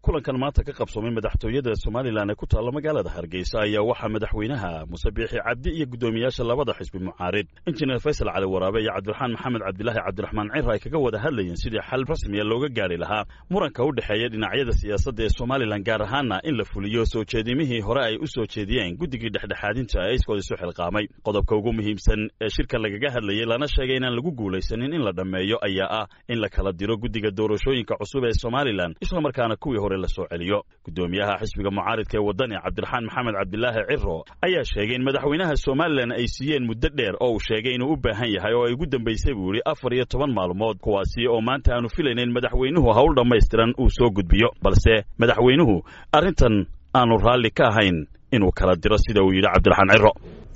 Kulankan maanta ka qabsoomay madaxtooyada Somalilan ee ku taalla magaalada Hargeysa ayaa waxaa madaxweynaha Muuse Biixi Cabdi iyo guddoomiyaasha labada xisbi mucaarid, Injineer Faysal Cali Waraabe iyo Cabdiraxmaan Maxamed Cabdilaahi Cabdiraxmaan Ciro, ay kaga wada hadlayeen sidii xal rasmiya looga gaari lahaa muranka u dhexeeya dhinacyada siyaasadda ee Somalilan, gaar ahaana in la fuliyo soo jeedimihii hore ay u soo jeediyeen guddigii dhexdhexaadinta ee iskood isu xilqaamay. Qodobka ugu muhiimsan ee shirka lagaga hadlayay, lana sheegay inaan lagu guulaysanin in la dhammeeyo, ayaa ah in la kala diro guddiga doorashooyinka cusub ee Somalilan, islamarkaana kuwii hore la soo celiyo. Guddoomiyaha xisbiga mucaaridka ee Waddani, Cabdiraxmaan Maxamed Cabdilaahi Ciro, ayaa sheegay in madaxweynaha Somalilan ay siiyeen muddo dheer oo uu sheegay inuu u baahan yahay, oo ay ugu dambaysay buu yidhi 14 maalmood, kuwaasi oo maanta aanu filayna in madaxweynuhu hawl dhammaystiran uu soo gudbiyo, balse madaxweynuhu arrintan aanu raalli ka ahayn inuu kala diro, sida uu yidhi Cabdiraxmaan Ciro.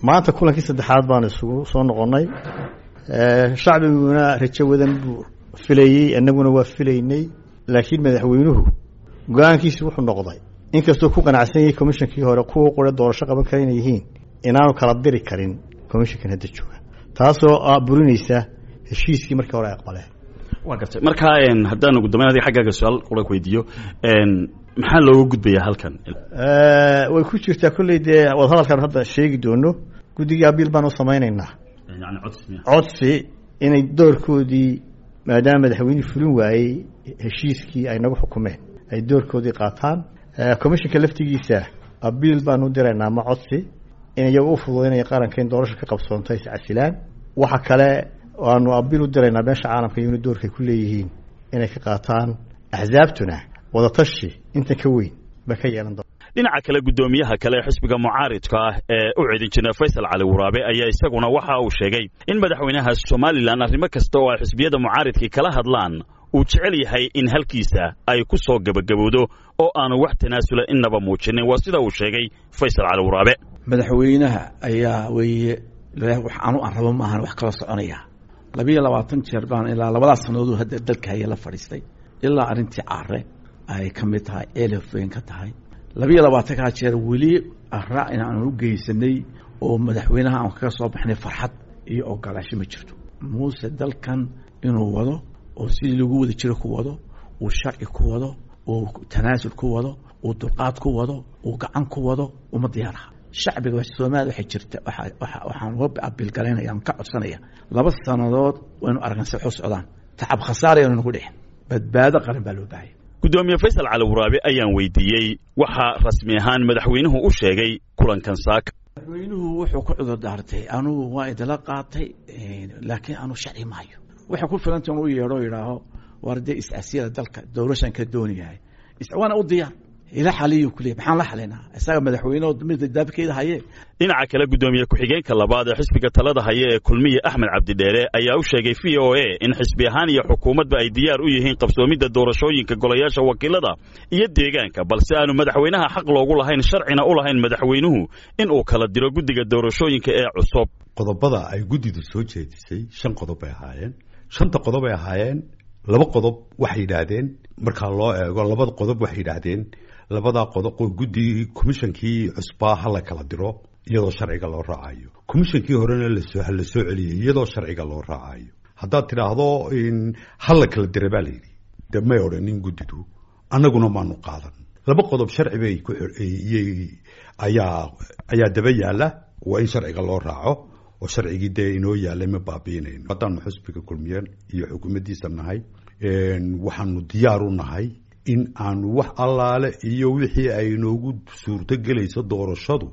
Maanta kulankii saddexaad baanu isugu soo noqonnay. Shacbiguna rajo wadan buu filayey, annaguna waa filaynay, laakiin madaxweynuhu go-aankiisi wuxuu noqday, inkastoo ku qanacsan yahay commishonkii hore kuwa qura doorasho qaban kara inay yihiin, inaanu kala diri karin commissionkan hadda jooga, taasoo burinaysa heshiiskii markii hore ay aqbaleen. Waa gartay. Markaa haddaan ugu dambeyn adiga xaggaaga su-aal qura ku weydiiyo, maxaa looga gudbayaa halkan? Way ku jirtaa kolley dee wadahadalkaan hadda sheegi doono. Guddigii abiil baan u samaynaynaa, yani codsi, codsi inay doorkoodii, maadaama madaxweynihii fulin waayey heshiiskii ay nagu xukumeen, ay doorkoodii qaataan. Commissionka laftigiisa abiil baanu u diraynaa ama codsi in iyagu u fududaynaya qaranka in doorasho ka qabsoonto is casilaan. Waxa kale aanu abiil u diraynaa beesha caalamka iyaguna doorkay ku leeyihiin inay ka qaataan, axsaabtuna wadatashi inta ka weyn ba ka yeelan doona. Dhinaca kale, guddoomiyaha kale ee xisbiga mucaaridka ah ee u cid, Injineer Faysal Cali Waraabe, ayaa isaguna waxa uu sheegay in madaxweynaha Somalilan arrimo kasta oo ay xisbiyada mucaaridkii kala hadlaan uu jecel yahay in halkiisa ay ku soo gebagabowdo, oo aanu wax tanaasula innaba muujinin. Waa sida uu sheegay Faysal Cali Waraabe. Madaxweynaha ayaa weeye wax anu aan rabo maahan wax kala soconaya. 22 jeer baan ilaa labadaas sannadood hadda dalka haya la fadhiistay, ilaa arrintii Caare ay ka mid tahay, Elefweyn ka tahay. 22-kaa jeer weli ara in aanu u geysanay oo madaxweynaha aan kaga soo baxnay farxad iyo ogolaasho ma jirto. Muuse dalkan inuu wado oo sidii lagu wada jiro ku wado, uu sharci ku wado, uu tanaasul ku wado, uu dulqaad ku wado, uu gacan ku wado, uma diyaaraha. Shacbiga Soomaaliya waxay jirta, waxaan uga abiilgalaynaya, aan ka codsanaya, 2 sannadood waynu aragna si waxu socdaan, tacab khasaarayanu nagu dhicin, badbaado qaran baa loo baahaya. Guddoomiye Faysal Cali Waraabe ayaan weydiiyey waxaa rasmi ahaan madaxweynuhu u sheegay kulankan saaka. Madaxweynuhu wuxuu ku cudur daartay, anugu waa idila qaatay, laakiin anu sharci maayo. Waxay ku filanta inuu yeedho, yidhaaho war dee is-asiyada dalka doorashan ka doonayahay, waana u diyaar ila xaliyu kuleey, maxaan la xalinaa isaga madaxweyne mid daabkeeda haye. Dhinaca kale, guddoomiye ku-xigeenka labaad ee xisbiga talada haya ee Kulmiye, Axmed Cabdidheere, ayaa u sheegay VOA in xisbi ahaan iyo xukuumadba ay diyaar u yihiin qabsoomidda doorashooyinka golayaasha wakiilada iyo deegaanka, balse aanu madaxweynaha xaq loogu lahayn, sharcina u lahayn madaxweynuhu in uu kala diro guddiga doorashooyinka ee cusub. Qodobada ay guddidu soo jeedisay 5 qodob bay ahaayeen. Shanta qodob ay ahaayeen, 2 qodob waxay yidhaahdeen, markaa loo eego labada qodob waxay yidhaahdeen labadaa qodob guddi commishonkii cusbaa ha la kala diro iyadoo sharciga loo raacayo, commishonkii horena lasoo la soo celiyey iyadoo sharciga loo raacayo. Haddaad tidhaahdo ha la kala dira baa layidhi, de may odhanin guddidu, annaguna maanu qaadan. 2 qodob sharci bay ku ayaa daba yaalla, waa in sharciga loo raaco oo sharcigii dee inoo yaalay ma baabiinayno. Haddaanu xusbiga Kulmiye iyo xukuumaddiisa nahay, waxaanu diyaar u nahay in aanu wax allaale iyo wixii ay inoogu suurto gelayso doorashadu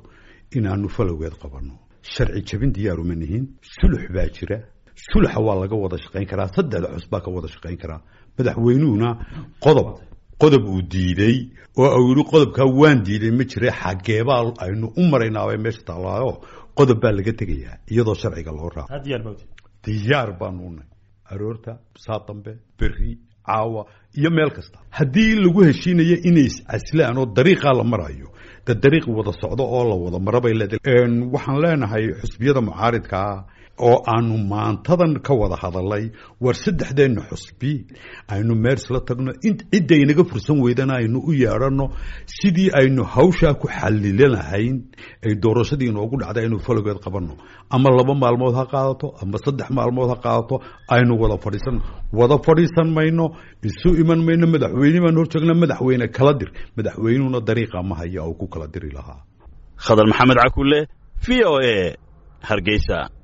inaanu falowgeed qabanno. Sharci jabin diyaaruma nihin. Sulux baa jira, suluxa waa laga wada shaqayn karaa, saddexda cus baa ka wada shaqayn karaa. Madaxweynuhuna qodob uu diiday oo uu yihi qodobkaa waan diiday ma jira, xageebaa aynu u maraynaabay meesha taallaayo, qodob baa laga tegayaa iyadoo sharciga loo raaco. Diyaar baanu unahay aroorta saa dambe, berri, caawa iyo meel kasta. Haddii lagu heshiinayo inay iscaslaan oo dariiqaa la marayo, de dariiq wada socdo oo la wada maro bay leedahay. Waxaan leenahay xusbiyada mucaaridkaa Oo aanu maantadan ka wada hadalay, war saddexdeenna xusbi aynu meel isla tagno, cidda inaga fursan weydana aynu u yeedhanno, sidii aynu hawshaa ku xalilanahayn ay doorashadii inoogu dhacday aynu falogeed qabanno. Ama 2 maalmood ha qaadato ama 3 maalmood ha qaadato, aynu wada fadhiisanno. Wada fadhiisan mayno, isu iman mayno. Madaxweyne baan hor joognaa, madaxweyne kala dir. Madaxweynuhuna dariiqa ma haya oo ku kala diri lahaa. Khadar Maxamed Cakulle, VOA, Hargeysa.